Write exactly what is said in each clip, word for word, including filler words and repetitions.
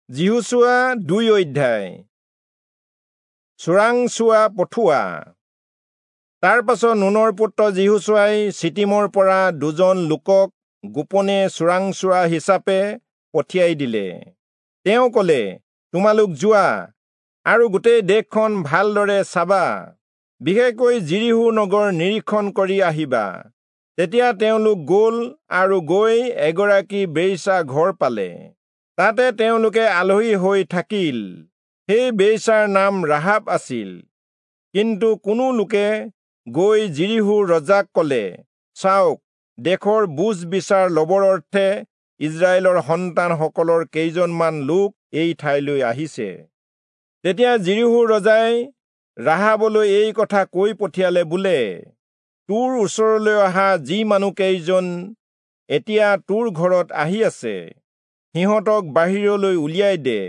যিহোচূৱা দুই অধ্যায়। চোৰাংচোৱা পঠোৱা। তাৰ পাছত নুনৰ পুত্ৰ যিহোচূৱাই চিটিমৰ পৰা দুজন লোকক গোপনে চোৰাংচোৱা হিচাপে পঠিয়াই দিলে। তেওঁ ক'লে, তোমালোক যোৱা আৰু গোটেই দেশখন ভালদৰে চাবা, বিশেষকৈ যিৰীহো নগৰ নিৰীক্ষণ কৰি আহিবা। তেতিয়া তেওঁলোক গ'ল আৰু গৈ এগৰাকী বেশ্যা ঘৰ পালে। তাতে তেওঁলোকে আলহী হৈ থাকিল। সেই বেশ্যাৰ নাম ৰাহাব আছিল। কিন্তু কোনো লোকে গৈ যিৰীহোৰ ৰজাক ক'লে, চাওক, দেশৰ বুজ বিচাৰ লবৰ অৰ্থে ইস্ৰায়েলৰ সন্তানসকলৰ কেইজনমান লোক এই ঠাইলৈ আহিছে। তেতিয়া যিৰীহোৰ ৰজাই ৰাহাবলৈ এই কথা কৈ পঠিয়ালে বোলে, তোৰ ওচৰলৈ অহা যি মানুহকেইজন এতিয়া তোৰ ঘৰত আহি আছে, সিহঁতক বাহিৰলৈ উলিয়াই দে,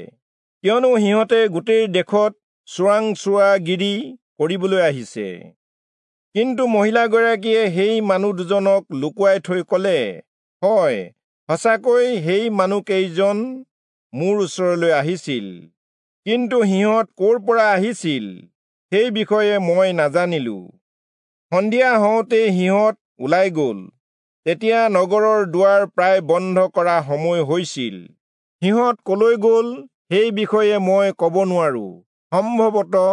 কিয়নো সিহঁতে গোটেই দেশত চোৰাংচোৱাগিৰি কৰিবলৈ আহিছে। কিন্তু মহিলাগৰাকীয়ে সেই মানুহ দুজনক লুকুৱাই থৈ ক'লে, হয়, সঁচাকৈ সেই মানুহকেইজন মোৰ ওচৰলৈ আহিছিল, কিন্তু সিহঁত ক'ৰ পৰা আহিছিল সেই বিষয়ে মই নাজানিলো। সন্ধিয়া হওঁতেই সিহঁত ওলাই গ'ল। তেতিয়া নগৰৰ দুৱাৰ প্ৰায় বন্ধ কৰা সময় হৈছিল। সিহঁত কলৈ গ'ল সেই বিষয়ে মই ক'ব নোৱাৰো। সম্ভৱতঃ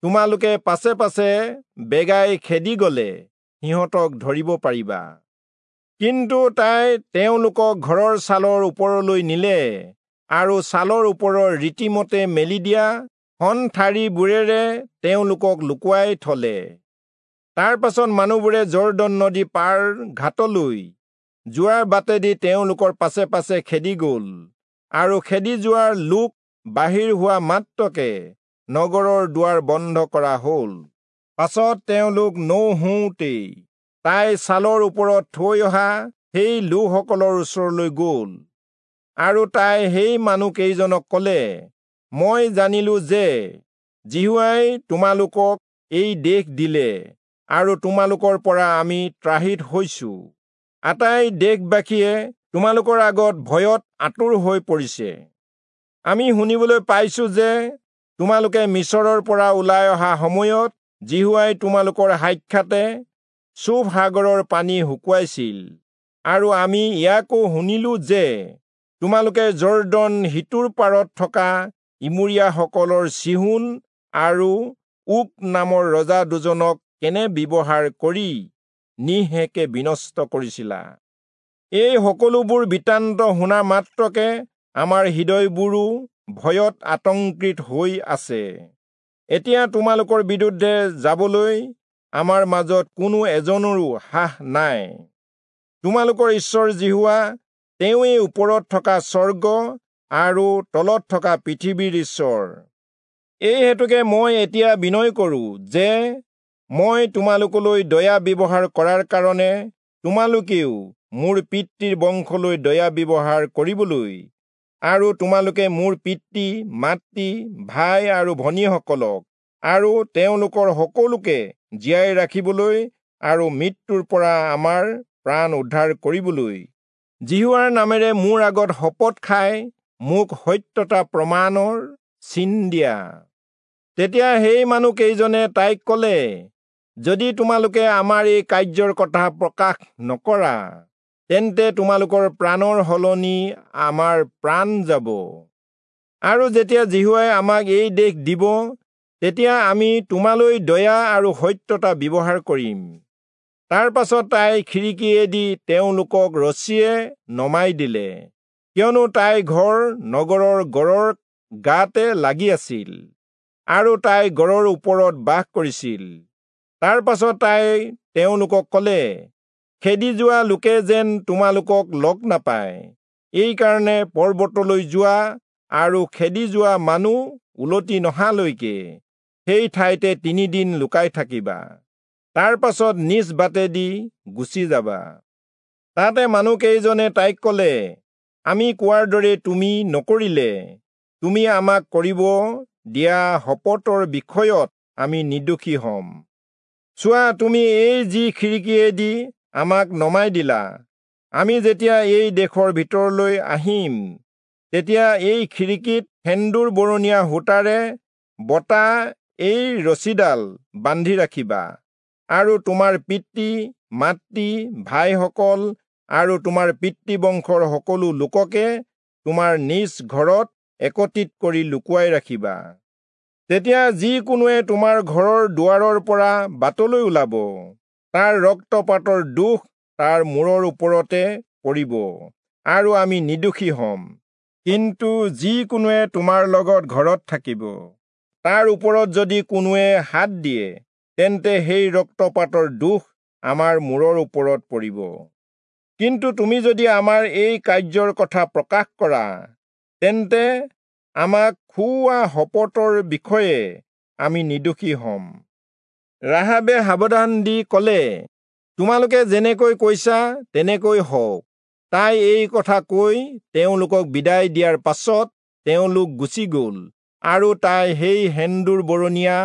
তোমালোকে পাছে পাছে বেগাই খেদি গ'লে সিহঁতক ধৰিব পাৰিবা। কিন্তু তাই তেওঁলোকক ঘৰৰ ছালৰ ওপৰলৈ নিলে আৰু ছালৰ ওপৰৰ ৰীতিমতে মেলি দিয়া শণঠাৰিবোৰেৰে তেওঁলোকক লুকুৱাই থলে। তাৰ পাছত মানুহবোৰে যৰ্দন নদী পাৰ ঘাটলৈ যোৱাৰ বাটেদি তেওঁলোকৰ পাছে পাছে খেদি গ'ল, আৰু খেদি যোৱাৰ লোক বাহিৰ হোৱা মাত্ৰকে নগৰৰ দুৱাৰ বন্ধ কৰা হ'ল। পাছত তেওঁলোক নৌহওঁতেই তাই ছালৰ ওপৰত থৈ অহা সেই লোকসকলৰ ওচৰলৈ গ'ল, আৰু তাই সেই মানুহকেইজনক ক'লে, মই জানিলো যে যিহোৱাই তোমালোকক এই দেশ দিলে আৰু তোমালোকৰ পৰা আমি ত্ৰাহিত হৈছো। আটাই দেশবাসীয়ে তোমালোকৰ আগত ভয়ত আতুৰ হৈ পৰিছে। আমি শুনিবলৈ পাইছো যে তোমালোকে মিচৰৰ পৰা ওলাই অহা সময়ত যিহোৱাই তোমালোকৰ সাক্ষাতে চূফ সাগৰৰ পানী শুকুৱাইছিল, আৰু আমি ইয়াকো শুনিলো যে তোমালোকে যৰ্দন সিটোৰ পাৰত থকা ইমূৰীয়াসকলৰ চিহোন আৰু ওক নামৰ ৰজা দুজনক কেনে ব্যৱহাৰ কৰি নিঃশেষে বিনষ্ট কৰিছিলা। এই সকলোবোৰ বৃত্তান্ত শুনা মাত্ৰকে আমাৰ হৃদয়বোৰো ভয়ত আতংকিত হৈ আছে। এতিয়া তোমালোকৰ বিৰুদ্ধে যাবলৈ আমাৰ মাজত কোনো এজনৰো সাহ নাই। তোমালোকৰ ঈশ্বৰ যিহোৱা, তেওঁৱেই ওপৰত থকা স্বৰ্গ আৰু তলত থকা পৃথিৱীৰ ঈশ্বৰ। এই হেতুকে মই এতিয়া বিনয় কৰোঁ যে মই তোমালোকলৈ দয়া ব্যৱহাৰ কৰাৰ কাৰণে তোমালোকেও মোৰ পিতৃৰ বংশলৈ দয়া ব্যৱহাৰ কৰিবলৈ, আৰু তোমালোকে মোৰ পিতৃ মাতৃ ভাই আৰু ভনীসকলক আৰু তেওঁলোকৰ সকলোকে জীয়াই ৰাখিবলৈ আৰু মৃত্যুৰ পৰা আমাৰ প্ৰাণ উদ্ধাৰ কৰিবলৈ যিহোৱাৰ নামেৰে মোৰ আগত শপত খাই মোক সত্যতা প্ৰমাণৰ চিন দিয়া। তেতিয়া সেই মানুহকেইজনে তাইক ক'লে, যদি তোমালোকে আমাৰ এই কাৰ্যৰ কথা প্ৰকাশ নকৰা, তেন্তে তোমালোকৰ প্ৰাণৰ সলনি আমাৰ প্ৰাণ যাব। আৰু যেতিয়া যিহোৱাই আমাক এই দেশ দিব, তেতিয়া আমি তোমালৈ দয়া আৰু সত্যতা ব্যৱহাৰ কৰিম। তাৰ পাছত তাই খিৰিকীয়েদি তেওঁলোকক ৰছীয়ে নমাই দিলে, কিয়নো তাই ঘৰ নগৰৰ গড়ৰ গাতে লাগি আছিল, আৰু তাই গড়ৰ ওপৰত বাস কৰিছিল। তাৰ পাছত তাই তেওঁলোকক ক'লে, খেদি যোৱা লোকে যেন তোমালোকক লগ নাপায়, এইকাৰণে পৰ্বতলৈ যোৱা আৰু খেদি যোৱা মানুহ উলটি নহালৈকে সেই ঠাইতে তিনিদিন লুকাই থাকিবা। তাৰ পাছত নিজ বাটেদি গুচি যাবা। তাতে মানুহকেইজনে তাইক ক'লে, আমি কোৱাৰ দৰে তুমি নকৰিলে তুমি আমাক কৰিব দিয়া শপতৰ বিষয়ত আমি নিৰ্দোষী হ'ম। চোৱা, তুমি এই যি খিৰিকীয়েদি আমাক নমাই দিলা, আমি যেতিয়া এই দেশৰ ভিতৰলৈ আহিম, তেতিয়া এই খিৰিকীত সেন্দুৰ বৰণীয়া সূতাৰে বটা এই ৰছীডাল বান্ধি ৰাখিবা, আৰু তোমাৰ পিতৃ মাতৃ ভাইসকল আৰু তোমাৰ পিতৃবংশৰ সকলো লোককে তোমাৰ নিজ ঘৰত একত্ৰিত কৰি লুকুৱাই ৰাখিবা। তেতিয়া যি কোনোৱে তোমাৰ ঘৰৰ দুৱাৰৰ পৰা বাটলৈ ওলাব, তাৰ ৰক্তপাতৰ দোষ তাৰ মূৰৰ ওপৰতে পৰিব, আৰু আমি নিৰ্দোষী হ'ম। কিন্তু যি কোনোৱে তোমাৰ লগত ঘৰত থাকিব, তাৰ ওপৰত যদি কোনোৱে হাত দিয়ে, তেন্তে সেই ৰক্তপাতৰ দোষ আমাৰ মূৰৰ ওপৰত পৰিব। কিন্তু তুমি যদি আমাৰ এই কাৰ্যৰ কথা প্ৰকাশ কৰা, তেন্তে আমাক খুওৱা শপতৰ বিষয়ে আমি নিৰ্দোষী হ'ম। ৰাহাবে সাৱধান দি ক'লে, তোমালোকে যেনেকৈ কৈছা তেনেকৈ হওক। তাই এই কথা কৈ তেওঁলোকক বিদায় দিয়াৰ পাছত তেওঁলোক গুচি গ'ল, আৰু তাই সেই সেন্দুৰ বৰণীয়া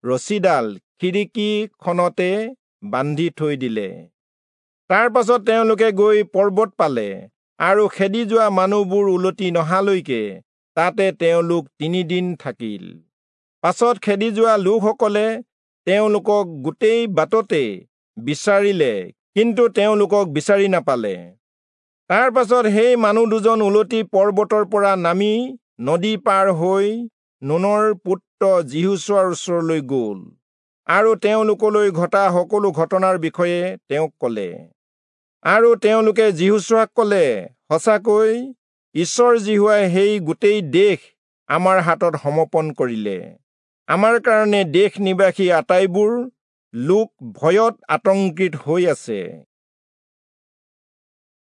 ৰছীডাল খিৰিকীখনতে বান্ধি থৈ দিলে। তাৰ পাছত তেওঁলোকে গৈ পৰ্বত পালে, আৰু খেদি যোৱা মানুহবোৰ উলটি নহালৈকে তাতে তেওঁলোক তিনিদিন থাকিল। পাছত খেদি যোৱা লোকসকলে তেওঁলোকক গোটেই বাটতে বিচাৰিলে, কিন্তু তেওঁলোকক বিচাৰি নাপালে। তাৰ পাছত সেই মানুহ দুজন উলটি পৰ্বতৰ পৰা নামি নদী পাৰ হৈ নুনৰ পুত্ৰ যিহোচূৱাৰ ওচৰলৈ গ'ল, আৰু তেওঁলোকলৈ ঘটা সকলো ঘটনাৰ বিষয়ে তেওঁক ক'লে। আৰু তেওঁলোকে যিহোচূৱাক ক'লে, সঁচাকৈ ঈশ্বৰ যিহোৱাই সেই গোটেই দেশ আমাৰ হাতত সমৰ্পণ কৰিলে। আমাৰ কাৰণে দেশ নিবাসী আটাইবোৰ লোক ভয়ত আতংকিত হৈ আছে।